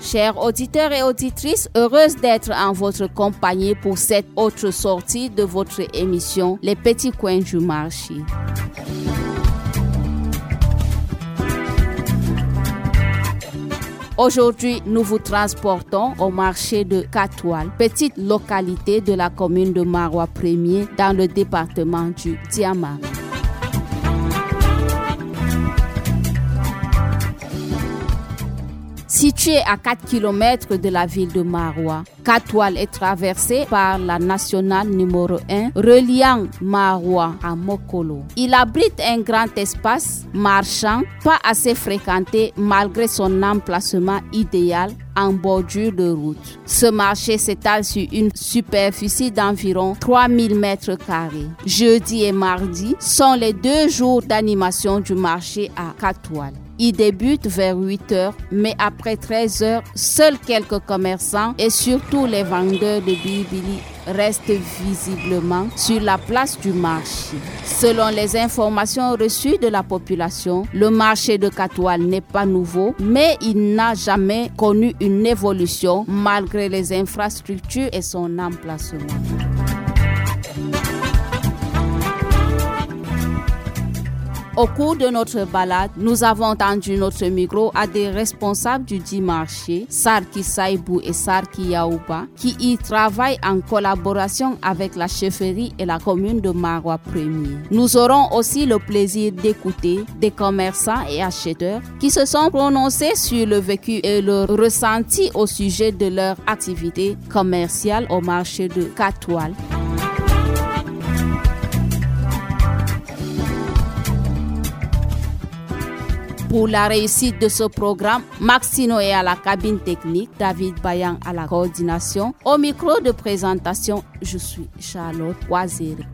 Chers auditeurs et auditrices, heureuse d'être en votre compagnie pour cette autre sortie de votre émission Les Petits Coins du Marché. Aujourd'hui, nous vous transportons au marché de Katoual, petite localité de la commune de Maroua 1er dans le département du Diamant. Situé à 4 km de la ville de Maroua, Katoual est traversé par la nationale numéro 1 reliant Maroua à Mokolo. Il abrite un grand espace marchand pas assez fréquenté malgré son emplacement idéal en bordure de route. Ce marché s'étale sur une superficie d'environ 3000 mètres carrés. Jeudi et mardi sont les 2 jours d'animation du marché à Katoual. Il débute vers 8 h, mais après 13 h, seuls quelques commerçants et surtout les vendeurs de bibili restent visiblement sur la place du marché. Selon les informations reçues de la population, le marché de Katoual n'est pas nouveau, mais il n'a jamais connu une évolution malgré les infrastructures et son emplacement. Au cours de notre balade, nous avons tendu notre micro à des responsables du dit marché, Sarki Saïbou et Sarki Yaouba, qui y travaillent en collaboration avec la chefferie et la commune de Maroua 1er. Nous aurons aussi le plaisir d'écouter des commerçants et acheteurs qui se sont prononcés sur le vécu et le ressenti au sujet de leur activité commerciale au marché de Katoual. Pour la réussite de ce programme, Maxino est à la cabine technique, David Bayan à la coordination. Au micro de présentation, je suis Charlotte Waziri.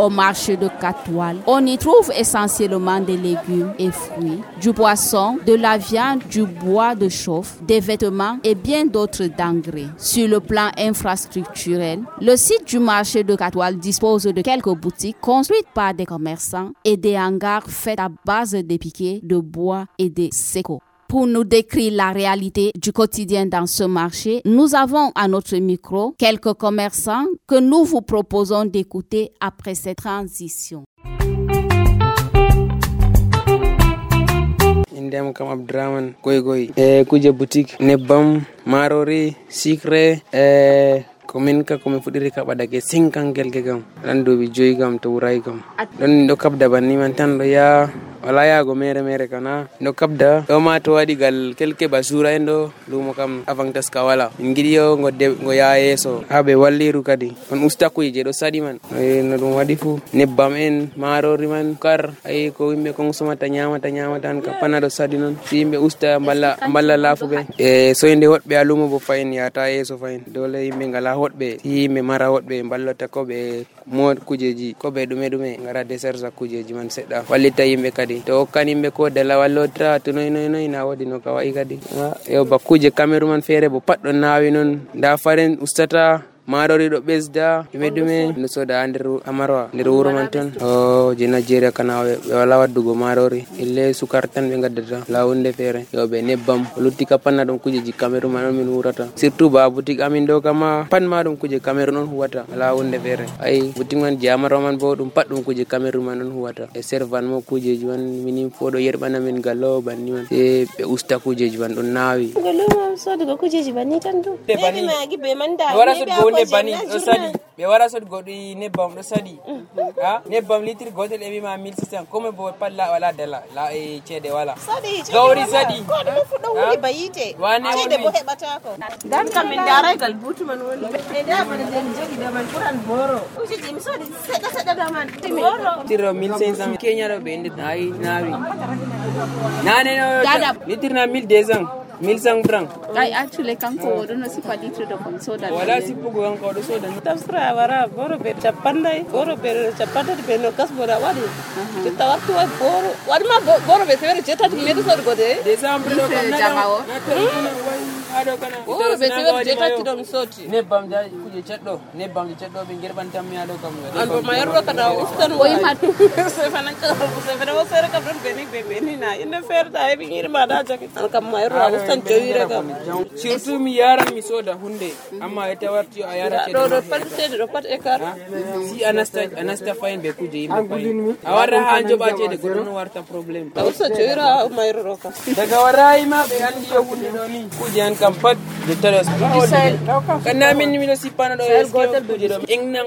Au marché de Katoual, on y trouve essentiellement des légumes et fruits, du poisson, de la viande, du bois de chauffe, des vêtements et bien d'autres denrées. Sur le plan infrastructurel, le site du marché de Katoual dispose de quelques boutiques construites par des commerçants et des hangars faits à base de piquets de bois et de séco. Pour nous décrire la réalité du quotidien dans ce marché, nous avons à notre micro quelques commerçants que nous vous proposons d'écouter après cette transition. Indem kam Abdraman goy kuje boutique nebam marori sucre komin ka komin fudiri ka badake 5 gelge gam dan dobi joyi gam to wuray gam don do kabda banni man tan do ya wala yago mere kana no kabda do ma to wadi gal kelke basura endo lumo kam avantas ka wala ngidi yo ngo ya yeso habe walliru kadi on usta ko je do sadi man no dum wadi fu nebbam en marori man kar ay ko yimbe ko somata nyamata tan ka panado sadi non yimbe usta balla lafube so inde wodbe alumo bo fayin ya ta yeso fayin dole yimbe ngala wodbe yimbe mara wodbe ballota ko be mod kujeji ko be dume ngara deserza kujeji man sedda wallita yimbe kadi to kanimbe ko dala wallotra to noy na wodi no ka wai kadi yo bakuje cameraman fere bo paddo nawi non da faren ustata marori do besda dume no soda andiru amarwa ndir wuro man tan o je Nigeria kana wala waddugo marori ille sukar tan be gaddata lawunde fere yo be nebbam luttika panna dum kujeji cameroon man min wurata surtout ba boutique amin do kama pan ma dum kuje cameroon on huwata lawunde fere ay boutique man jamaro man bo dum paddum kuje cameroon man on huwata e servan mo kujeji man minim fodo yerbana min gallo banni man e be usta kujeji man don nawi gallo so do kujeji banni tan do be magi be manda ne bani do sadi be wara so godi nebbam do sadi ha nebbam litre gotel e bima 1600 comme bo palla wala dala la e cede wala sadi gawri sadi ko do fudo woni bayite cede bo hebata ko dan kam min daray gal butu man woni e da man den jogi da man kuran boro uji mi sodi seda da man boro tiro 1500 Kenya do be indi nawi nane no litre na 1200 1500 francs. I actually can't go to no super litre de comme soda. Wala si pugo an ko do soda. Tafsra wara boro be chapanda be no kasbora wadi. Tawatu wa boro. Wadi ma boro be severe cheta medo so gode. December do kam na. ado kana o be se je tatti don soti nebbam jaji kuje ceddo nebbam je ceddo be gerban tam mi ado kam albo mayro kana ustan o imatu se fanan ka se fana o sere kam don be ni na inde ferta e bi irma da jake an kam mayro ustan joyire kam surtout mi yaran mi soda hunde amma e tawarti a yara ce do parte do pat e kar si anasta fine be kuje yimbe awara hanjo ba ce de godon warta problem usta joyira mayro ka daga warai ma be andi yo hunde do ni kuje an kam pat de taras kana min mi do sipana do gotel kuje do engnan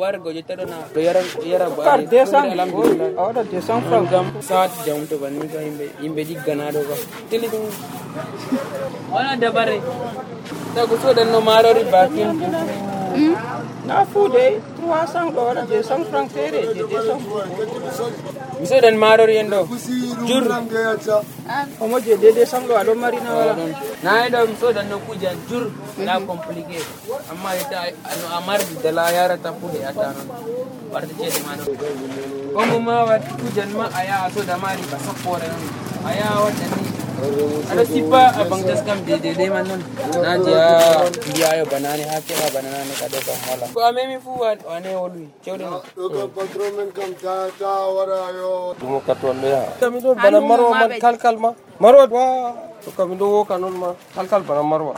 wargo je tadona do yara ba alhamdulillah awada 200 francs gam saat jam to banni ka yimbe diggana do ka telidum wala dabare tagu so dan no marori bakin na fude 300 dollars 200 francs fere je 200 miso dan marori endo jur omo je 200 ado marina wala na endo miso dan no kuja jur na compliqué amma ita no amar dala yara tapude atano warde ce mano omo ma wat kujan ma aya so da mari ba sapore aya wadani ada sipa abang taskam de man non naja dia ayo banane hake banane kado ka hala ko amemi fu wane wolu cewde no ko patron men kam ta wara yo mo katol ya kami do bana marwa man kalkal ma marwa wa to kami do wo kanon ma kalkal bana marwa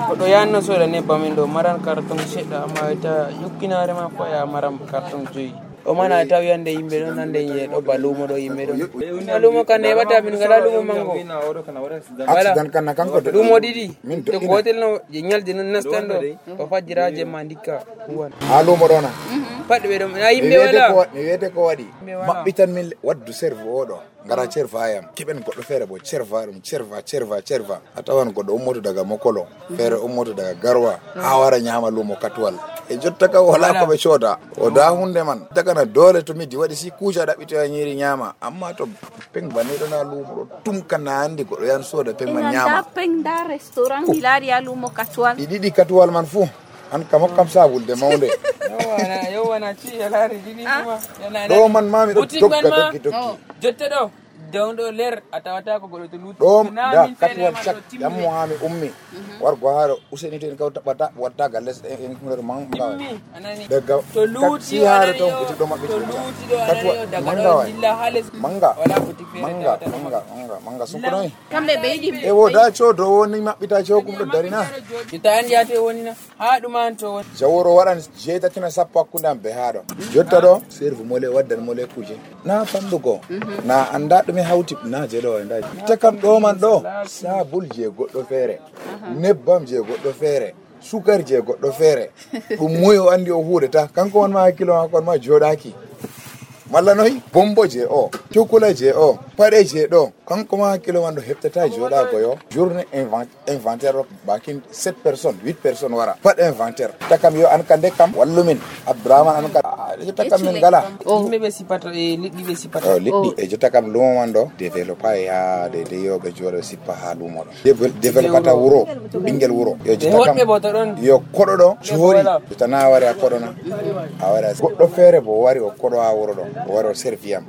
ko do yanno so da ne bamindo maran karton sedda amma ita yukkinare ma ko ya maram karton joyi o mana taw yande yimbe don nande ye do balumo do yimbe do balumo kan e wata min gala lumo mango accident kan kanko do lumo didi to gotel no je nyalde non nastando o fajiraje mandika huwan halumo dona padbe be do na yimbe wala mi wete ko wadi mabbitan min waddu serve odo ngara cerfa ayam kiben goddo fere bo cerva atawan goddo ummoto daga mokolo fere ummoto daga garwa ha wara nyama lumo katwal e jotta ka wala ko be coda o da hunde man daga na dole to midi wadi si kuja da bito nyiri nyama amma to peng bani do na lumo tum kana andi goddo yan soda peng man nyama da peng da restaurant hilari ya lumo katwal didi katwal man fu an kam sabul de mawnde yo wana ci yalari didi kuma yana do man mami do tokka jotta do dawdo ler atawata ko godo to lutu da katwal chak yam muami ummi war go haro useni ten kaw tabata wadda galles en ko man anani daga to luti haro to ko do mabbe katwal daga illa halis manga wala butik fere manga sunkuno kambe beedi e wo da chodo woni mabbita chokum do darina ita andi ate woni na ha duman to jaworo waran jeta tina sappo akunda be hado jotta do serve mole waddan mole kuje na fandugo na anda dum hawti na je do nda ta kam do man do sabul je goddo fere nebbam je goddo fere sukar je goddo fere dum moyo andi o hudeta kanko won ma kilo ma kon ma jodaki malla noy bombo je o chocolat je o pare je do kanko ma kilo wando heptata joda ko yo journée inventaire bakin 7 personnes 8 personnes wara pat inventaire takam yo an kande kam wallumin abdraman an ka takam min gala yimbe be sipata e liddi be sipata liddi e jotta kam lumo mando développer ya de yo be jodo sipa ha lumo do dévelopata wuro bingel wuro yo jotta kam yo kodo do jori jotta na wari akodo na awara goddo fere bo wari o kodo ha wuro do o wari o serviam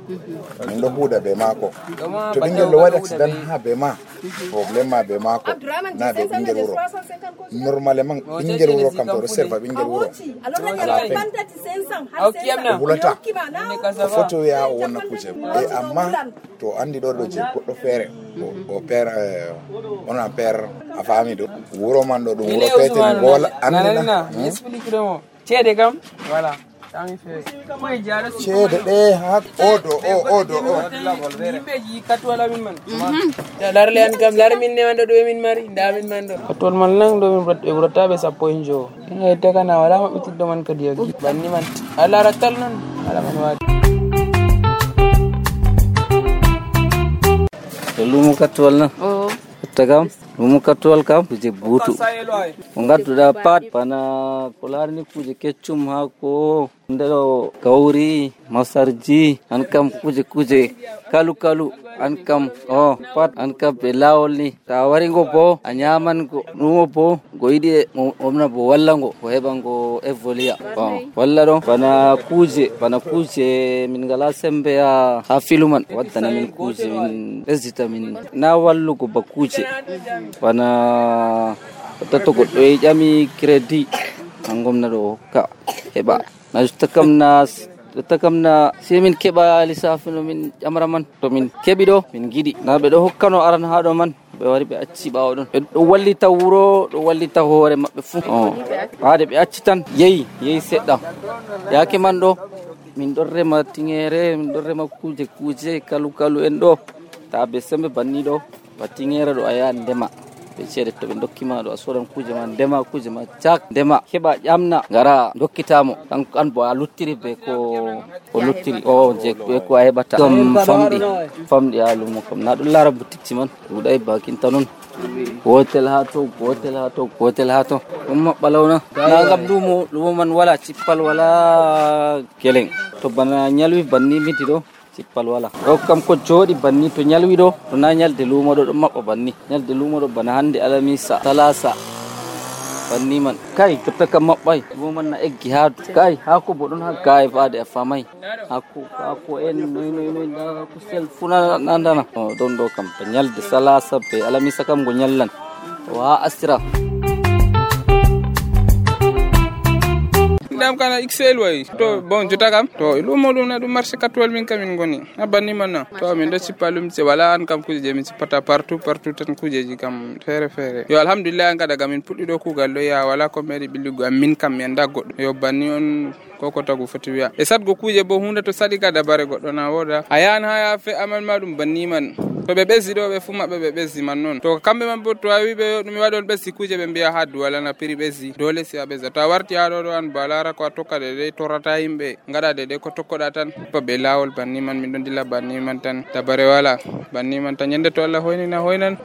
min do huda be mako to bingel lo wadi accident ha be ma problème ma be mako na be bingel wuro normalement bingel wuro kam to serva bingel wuro bulata photo ya wonna kuje e amma to andi do je goddo fere o père on a père a famille do wuro man do dum wuro pete gola andina explique do cede kam voilà cede de ha odo yimbe ji katwala min man larle an kam lar min ne wando do min mari nda min man do katwal man lang do min e brotabe sappo injo e te kana wala ma bitiddo man kadi yagi banni man ala ratal non ala man wadi lumu katwal na tagam lumu katwal kam je butu ngatu da pat pana kolar ni kuje kecum ha ko ndelo gauri masarji an kam kuje kalu an kam pat an kam be lawol ni ta wari go bo a nyaman go numo bo go yidi omna bo walla go heban go evolia walla do bana kuje min gala sembe ya hafiluman wadana min kuje min ezita min na wallu go ba kuje bana to goddo e jami credit angomna do ka heba na takamna semin keba lisafino min amraman to min kebi do min gidi na be do hokkano aran haado man be wari be acci bawo don do wallita wuro do wallita hoore mabbe fu haade be acci tan yeyi sedda yake man do min do rema tingere min do rema kuje kalu en do ta be sembe banni do batingere do aya ndema be cede to be dokkima do asoran kuje man dema kuje ma jak dema heba jamna gara dokkitamo an bo a luttiri be ko luttiri je be ko hebata dum famdi alumo kam na dum lara butikci man dudai bakin tanon hotel hato umma balawna na gabdumo lumo man wala cippal wala keleng to bana nyalwi banni mitido cippal wala o kam ko jodi banni to nyalwi do to na nyalde lumo do mabba banni nyalde lumo do bana hande alamisa talasa banni man kai to taka mabbai lumo man na eggi haadu kai hako bodon ha kai faade afamai hako en noy da ko sel funa nandana don do kam to nyalde salasa be alamisa kam go nyallan wa asira dam kana XL way to bon jota kam to lumo dum na dum marché katwal min kamin goni abani manna to min do cipalum ci wala an kam kuje min cipata partout tan kujeji kam fere yo alhamdulillah an kada gamin puddi do kugal do ya wala ko meri billigo am min kam mi anda goddo yo banni on koko tagu foti wiya e sadgo kuje bo hunde to sadi kada bare goddo na woda ayan ha fe amal madum banni man to be bezi do be fuma be bezi man non to kambe man bo to awi be dum wadon bezi kuje be biya haddu wala na piri bezi dole si abeza to warti ha do an balara ko tokka de torata himbe ngada de ko tokkoda tan to be lawol banni man min don dilla banni man tan tabare wala banni man tan yende to Allah hoynan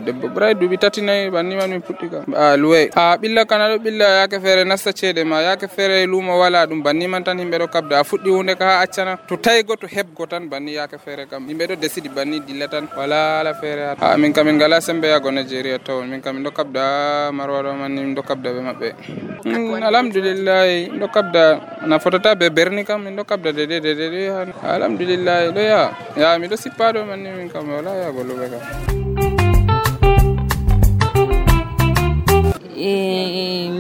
debbo bray dubi tatinay banni man min putti kam luwe billa kanado billa yake fere nasta cede ma yake fere lumo wala dum banni man tan himbe do kabda fuddi hunde ka accana to taygo to hebgo tan banni yake fere kam himbe do desidi banni dilla tan wala la fere min kam min gala sembe ya go Nigeria taw min kam do kabda marwado man min do kabda be mabbe alhamdulillah do kabda na fotata be berni kam min do kabda de alhamdulillah do ya mi do sipado man min kam wala ya golu be kam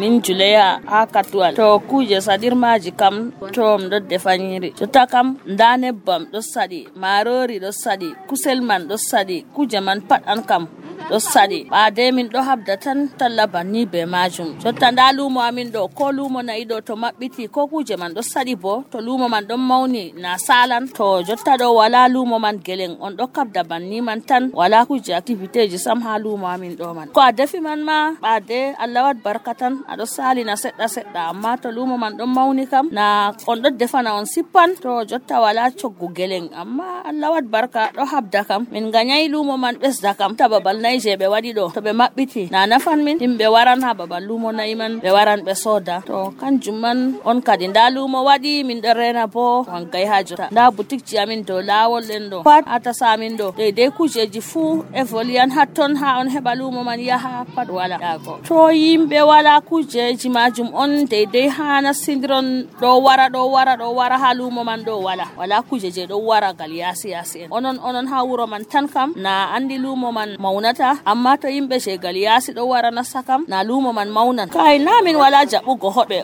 min juleya akatwal to kuje sadir maji kam tom do defanyiri to takam ndane bam do sadi marori do sadi kuselman do sadi kuje man pat an kam do sadi ba de min do habda tan talla banni be majum to tanda lumo amin do ko lumo na ido to mabbiti ko kuje man do sadi bo to lumo man don mauni na salan to jotta do wala lumo man geleng on do kabda banni man tan wala kuje activity ji sam ha lumo amin do man ko adefi man ma ba de Allah wat barkatan ado sali na sedda amma to lumo man don mauni kam na on do defana on sippan to jotta wala coggu geleng amma Allah wat barka do habda kam min ganyai lumo man besda kam tababal je be wadi do to be mabbiti na nafan min himbe waran ha babal lumo naiman be waran be soda to kanjum man on kadi nda lumo wadi min do rena bo on gay hajota nda boutique ji amin do lawol den do pat ata samin do de kujeji fu e volian hatton ha on heba lumo man yaha pat wala dago to yimbe wala kujeji majum on de hana sindron do wara ha lumo man do wala kujeje do wara gal yasi onon ha wuro man tan kam na andi lumo man maunata amma to yimbe shegal yasi do wara na sakam na lumo man maunan kai namin wala jabugo hobbe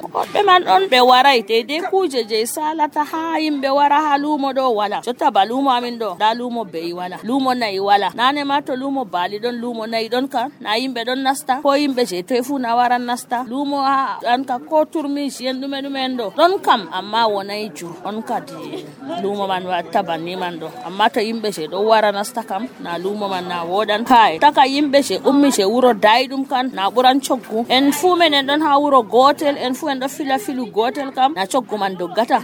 man on be warai de kuje je salata ha yimbe wara ha lumo do wala jotta ba lumo amin do da lumo be wala lumo nay wala nane ma to lumo bali don lumo nay don kan na yimbe don nasta ko yimbe je tefu na wara nasta lumo an ka ko turmi yen dume do don kam amma wonay ju on kadi lumo man wa tabani man do amma to yimbe je do wara nasta kam na lumo man na wodan kai taka yimbe she ummi she wuro daidum kan na buran coggu en fu menen don ha wuro gotel en fu en do filu gotel kam na coggu man doggata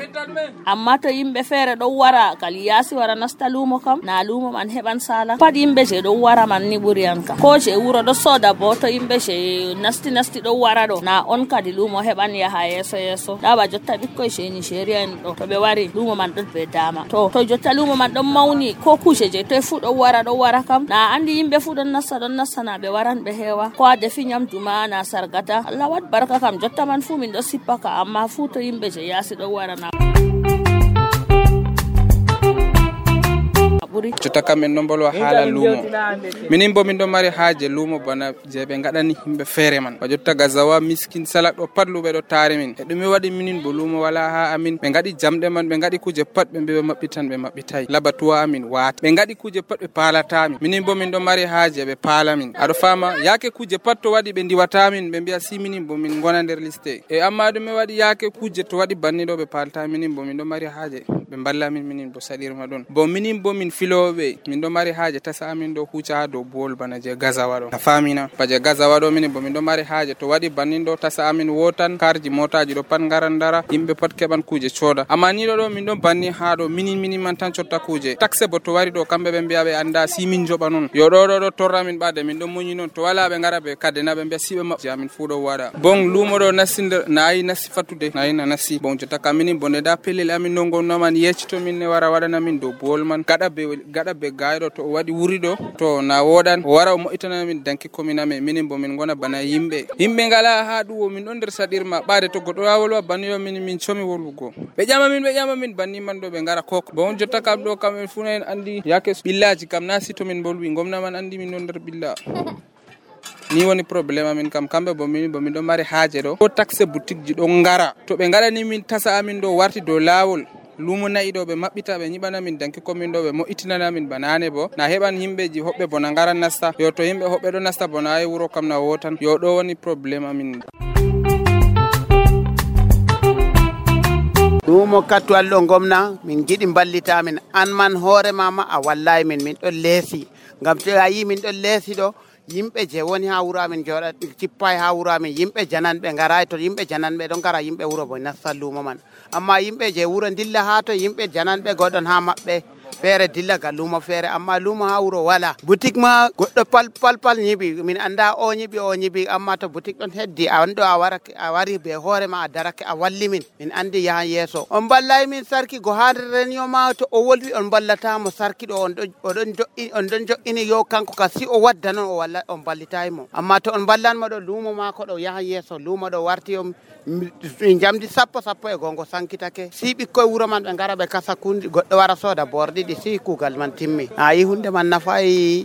amma to yimbe fere do wara kali yasi wara nasta lumo kam na lumo man heban sala pad yimbe she do wara man ni buri an kam ko she wuro do soda bo to yimbe she nasti do wara do na on kadi lumo heban yaha yeso da ba jotta bikkoy sheni sheria en do to be wari lumo man do be dama to jotta lumo man don mauni ko kushe je to fu do wara kam na andi yimbe fu don nassa na be waran be hewa ko ade fi nyamdu ma na sargata Allah wat baraka kam jotta man fu min do sippaka amma fu to yimbe je yasi do wara na Jota kamen nombolo hala lumo minin bo min do mari haaje lumo bana je be ngadani himbe fere man ba jotta gazawa miskin salak do padlube do tare min e dum wadi minin bo lumo wala ha amin be ngadi jamde man be ngadi kuje pat be mabbitan be mabbitay labatuwa amin wat be ngadi kuje pat be palata min minin bo min do mari haaje be pala min ado fama yake kuje pat to wadi be diwata min be biya si minin bo min gona der liste e amma dum wadi yake kuje to wadi bannido be palata minin bo min do mari haaje be balla min minin bo salirma don bo minin bo min filobe min do mari haaje tasa amin do huca do bol bana je gazawa do famina baje gazawa do min bo min do mari haaje to wadi bannin do tasa amin wotan karji motaji do pan garandara yimbe pat keban kuje choda amma ni do min do banni ha do minin man tan chotta kuje taxe bo to wari do kambe be biya be anda si min joba non yo do torra min bade min do munyi non to wala be ngara be kadena be biya sibe ma jamin fu do wada bon lumo do nasinder nayi nasifatude nayi na nasi bon jota kamini bonde da pelel amin no gonno man yecito min ne wara wadana min do bol man gada be gaydo to wadi wurido to na wodan wara mo itana min danki kominame minin bo min gona bana yimbe ngala ha duwo min don der sadirma baade to godo wawol baniyo min chomi wolugo be jama min banni man do be ngara kok bon jotta kam do kam funen andi yake billaji kam nasi to min bolwi gomna man andi min don der billa ni woni problème amin kam kambe bo min do mari haaje do ko taxe boutique ji do ngara to be ngara ni min tasa amin do warti do lawol lumo nayi do be mabbita be nyibana min danki komin do be mo itinana min banane bo na heban himbeji hobbe bona ngara nasta yo to himbe hobbe do nasta bona ay wuro kam na wotan yo do woni problème amin lumo katwal do gomna min gidi ballita min an man hore mama a wallahi min do lesi ngam to ayi min do lesi do yimbe je woni ha wuro amin joda cippay ha wuro amin yimbe jananbe ngaray to yimbe jananbe don gara yimbe wuro bo nasallumo man amma yimbe je wuro dilla ha to yimbe jananbe godon ha mabbe fere dilla ga lumo fere amma lumo ha wuro wala boutique ma goddo pal nyibi min anda o nyibi amma to boutique don heddi a wando a wari be hore ma a darake a walli min andi ya yeso on ballay min sarki go hadren yo ma to o wolwi on ballata mo sarki do on don jo'ini yo kanko kasi o wadda non o walla on ballitay mo amma to on ballan mo do lumo ma ko do ya yeso lumo do warti yo jamdi sappo e gongo sankitake si bikkoy wuro man be ngara be kasa kundi goddo wara soda bordi di si kugal man timmi ayi hunde man nafay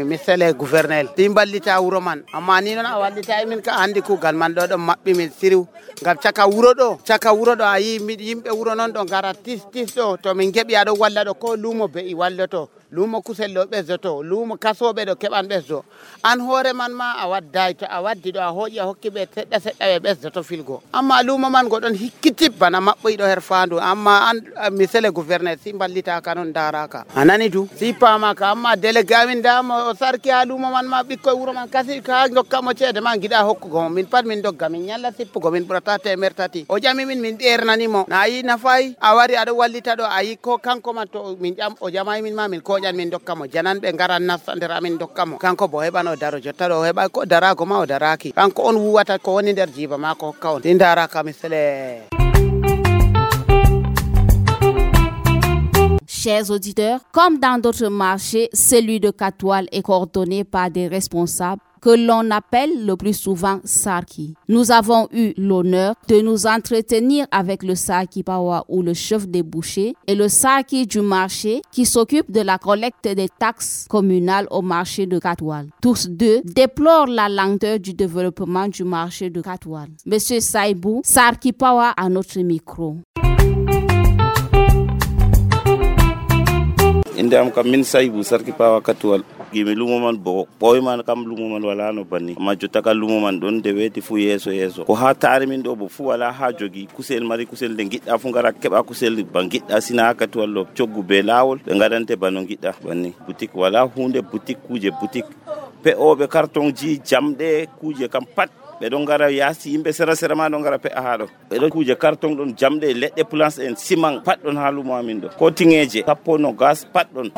misale gouverneur timballita wuro man amma ni non a wallita min ka andi kugal man do mabbi min siriw ngam caka wuro do ayi yimbe wuro non do ngara tis do to min gebi ado walla do ko lumo be I walloto lumo kusello bezzoto lumo kasobe do keban bezzo an hore man ma a wadday to a waddi do a hoji a hokkibe sedda be bezzoto filgo amma lumo man godon hikkitib bana mabboy do her fandu amma an misele gouverneur si ballita kanon daraka anani du si pama ka amma délégué amin damo o sarki ha lumo man ma bikkoy wuro man kasi ka ngokkamo cede ma gida hokkugo min pat min dogga min nyalla sippugo min burata temertati o jami min dernani mo na yi nafay a wari ado wallita do ayi ko kanko man to min jam o jamay min ma min ko min dokkamo jananbe ngaran nafsandira min dokkamo kanko bo hebano daro jotta do heba ko darago ma o daraki kanko on wuwata ko woni der jiba ma ko hokka on din daraka misle. Chers auditeurs, comme dans d'autres marchés, celui de Katwal est coordonné par des responsables que l'on appelle le plus souvent Sarki. Nous avons eu l'honneur de nous entretenir avec le Sarki Pawa ou le chef des bouchers et le Sarki du marché qui s'occupe de la collecte des taxes communales au marché de Katwal. Tous deux déplorent la lenteur du développement du marché de Katwal. Monsieur Saibou, Sarki Pawa à notre micro. inde am kam min Saibou Sarki Pawa Katwal gimi lumo man bo boy man kam lumo man wala no banni ma jotta ka lumo man don de weti fu yeso ko ha taare min do bo fu wala ha jogi kusel mari kusel de gidda fu ngara keba kusel bangidda sina Katwal lo coggu be lawol be ngadante bano gidda banni boutique wala hunde boutique kuje boutique pe o be carton ji jamde kuje kam pat be don ngara yasi yimbe sera ma don ngara pe haado be don kuje carton don jamde ledde plants en ciment pat don ha lumo amin do ko tingeje tappono gas pat don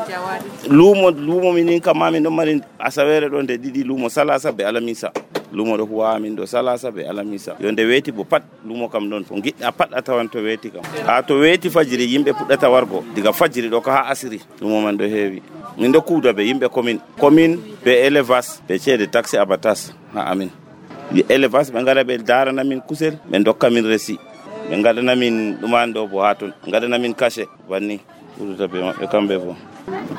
lumo minin kam amin don mari asawere don de didi lumo salasa be alamisa lumo ɗo huwa amin ɗo salasa be alamisa yo nde weeti bo pat lumo kam ɗon ko giɗɗa pat a tawan to weeti kam ha to weeti fajiri yimɓe puɗɗata wargo diga fajiri ɗo ko ha asiri lumo man ɗo heewi min ɗo kuuda ɓe yimɓe commune be élevage ɓe ceede taxe abatas ha amin élevage ɓe ngara ɓe darana min kusel ɓe dokka min resi ɓe gaɗana min ɗuman ɗo bo ha ton gaɗana min cachet banni ɓurata ɓe maɓɓe kamɓe bo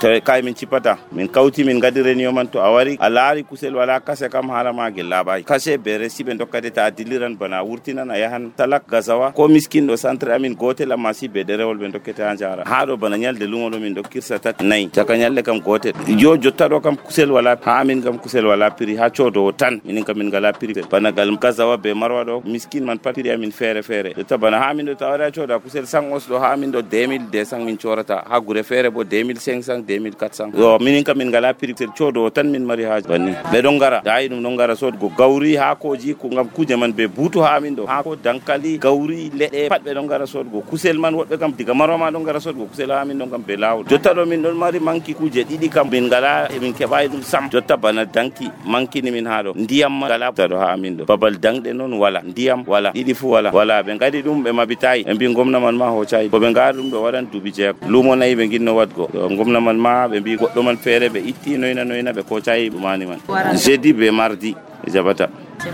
tawi kay min cippata min kawti min gadi réunion man to a wari a laari kusel wala kase kam haala ma gel laaɓayi kase be resi ɓe dokkade ta a dilliran bana a wurtinan a yahan talak gasawa ko miskin ɗo centre amin gotel amma si be ɗerewol ɓe dokkete ha jara ha ɗo bana ñalde lumo ɗo min dokkirsa tati nayyi caka ñalde kam gotel jo jotta ɗo kam kusel wala ha amin kam kusel wala prix ha codowo tan minin kam min ngala prix bana gal gasawa be marwa ɗo miskin man pat prix amin feere feere jotta bana ha amin ɗo ta wari a cooda kusel 100 os ɗo ha amin ɗo 2200 min corata ha gure feere bo 2500 2400 yo minin kam min ngala prix codowo tan min mari haji banni ɓe ɗon ngara dayi ɗum ɗon ngara sodgo gawri haakoji ko ngam kuje man be buutu ha amin ɗo haako dankali gawri leɗɗe pat ɓe ɗon ngara sodgo kusel man woɗɓe kam diga marwa ma ɗon ngara sodgo kusel ha amin ɗon kam be lawol jotta ɗo min ɗon mari manki kuje ɗiɗi kam min ngala min keɓayi ɗum sam jotta bana danki mankini min ha ɗo ndiyam ma ngala ɗo ha amin ɗo babal dangɗe noon wala ndiyam wala ɗiɗi fu wala ɓe ngadi ɗum ɓe mabitayi ɓe mbi gomna man ma hoccayi ko ɓe ngari ɗum ɗo waɗan duuɓi jeego lumo nayi ɓe ginno wadgo gomna man ma ɓe mbi goɗɗo man feere ɓe itti noyna ɓe kocayi ɗumani man jeudi be mardi ɓe jaɓata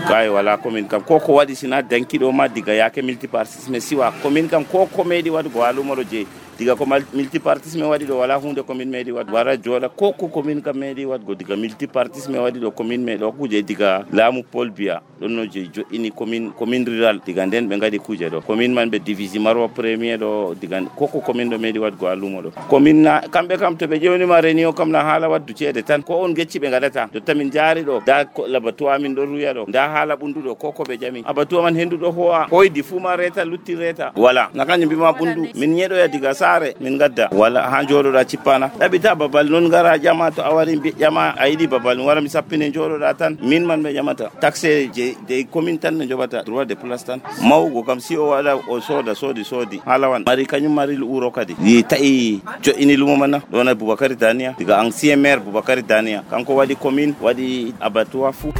kay wala commune kam ko waɗi sina dankiɗo ma diga yaake multipartisme siwa commune kam ko meeɗi waɗgo ha lumoɗo jeeyi diga ko multipartisme waɗi ɗo wala hunde commune meeɗi waɗgo wara jooɗa ko commune kam meeɗi waɗgo diga multipartisme waɗi ɗo commune meeɗi o kuje diga laamu Paul Biya ɗon no je joɗini commune rural diga nden ɓe ngaɗi kuje ɗo commune man ɓe divisi marwa premier ɗo diga ko commune ɗo meeɗi waɗgo ha lumo ɗo commune na kamɓe kam to ɓe ƴewnima réunion kam na haala waddu ceede tan ko on gecci ɓe ngaɗata jotta min jaari ɗo da labatuwa min ɗon ruya ɗo da haala ɓunduɗo ko ɓe ƴami abatuwa man henduɗo howa hoydi fuu ma reta lutti reta wala na kañum mbima ɓundu min ñeɗoya diga saare min gadda wala ha joɗoɗa cippana ɗaɓita babal noon gara ƴama to a wari ƴama a yiɗi babal mi wara mi sappine joɗoɗa tan min man ɓe ƴamata taxe je commune tan ne joɓata droit de place tan mawgo kam si o waɗa o soodi haalawan mari kañum mari wuro kadi yi taƴi joƴini lumo man na ɗona Boubacary Dania diga ancien maire Boubacary Dania kanko waɗi commune waɗi abattoir fou.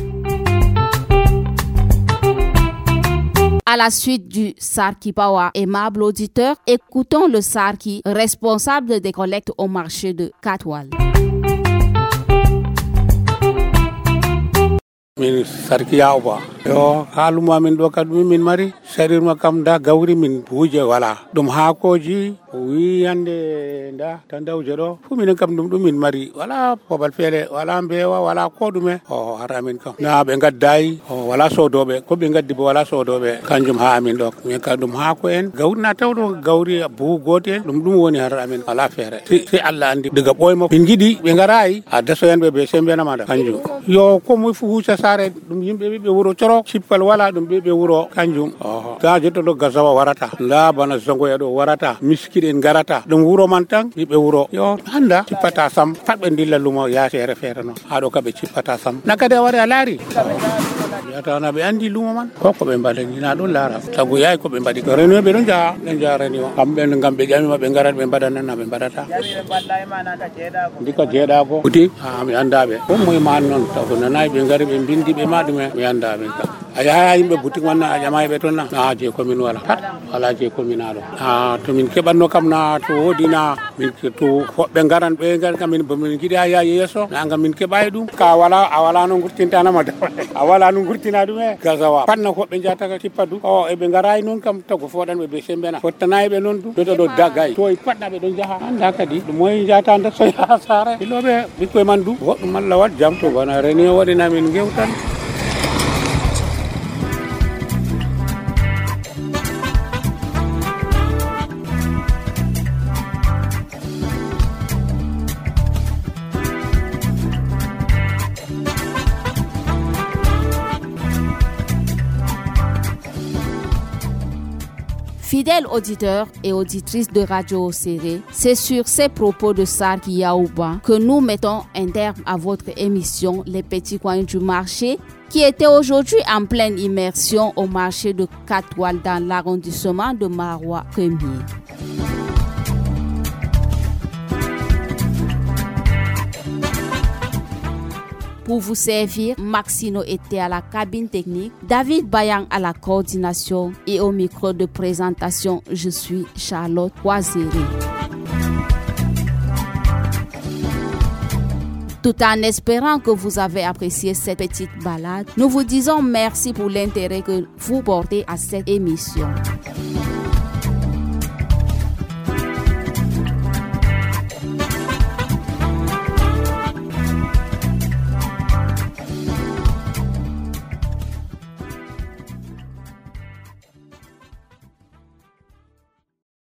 À la suite du Sarki Pawa, aimable auditeur, écoutons le Sarki, responsable des collectes au marché de Katwal. Min Sarki Yawba yo haaluma min ɗo kadi min mari sarirma kam da gawri min buuje wala ɗum haakoji o wi hande da tandawje ɗo fu minen kam ɗum min mari wala babal feere wala mbewa wala ko ɗume o hara min kam na ɓe gaddayi o wala sodoɓe ko ɓe gaddi bo wala sodoɓe kanjum ha amin ɗo min ka ɗum haako en gawri na tawɗo gawri buhu gotel ɗum woni har amin wala feere si Allah andi diga ɓoymo min jiiɗi ɓe garayi a dasoyanɓe ɓe sembenamada kanjum yo ko moy fu huuca saare ɗum yimɓe ɓiɓɓe wuro coro cippal wala ɗum ɓiɓɓe wuro kanjum ta jettoɗo gasawa warata nda bana zongoya ɗo warata miskiɗen garata ɗum wuro man tan ɓiɓɓe wuro yo handa cippata sam pat ɓe dilla lumo ya feere feere noon haɗo kaɓe cippata sam nakadi a wari a laari yatana ɓe andi lumo man ko ɓe mbaɗani na ɗon laara sabu yayi ko ɓe mbaɗi réunion ɓe ɗon jaha ɓe jaha réunion kamɓe ngam ɓe ƴamima ɓe garat ɓe mbaɗanana ɓe mbaɗata ndika jeeɗako uti mi andaɓe ko moye man noon sabu nanayi ɓe gari ɓe bindi ɓe ma ɗume mi anda ɓen kam a yaha yimɓe boutique man a ƴamayi ɓe toon na je commune wala pat wala je commune aɗo to min keɓatno kam na to woodi na min to hoɓɓe garan ɓe gari kam min jiiɗi ha yaa yesso na gam min keɓayi ɗum ka wala a wala no gurtintanama a wala no gurtina ɗum e gasawa pat no hoɓɓe jataka tippa du o eɓe garayi noon kam tago foɗanɓe ɓe sembena fottanayi ɓe noon du joto ɗo dagay to patɗa ɓe ɗon jaaha anda kadi ɗum moye jata nda so yaha saare iloɓe ɓikkoye man du goɗɗum Allah wat jam to bana réunion waɗina min gewtan. Fidèles auditeurs et auditrices de Radio Oséré, c'est sur ces propos de Sarki Yawba que nous mettons un terme à votre émission Les Petits Coins du Marché, qui était aujourd'hui en pleine immersion au marché de Katwal dans l'arrondissement de Maroua 1er. pour vous servir. Maxino était à la cabine technique, David Bayang à la coordination et au micro de présentation, je suis Charlotte Oiséré. Tout en espérant que vous avez apprécié cette petite balade, nous vous disons merci pour l'intérêt que vous portez à cette émission.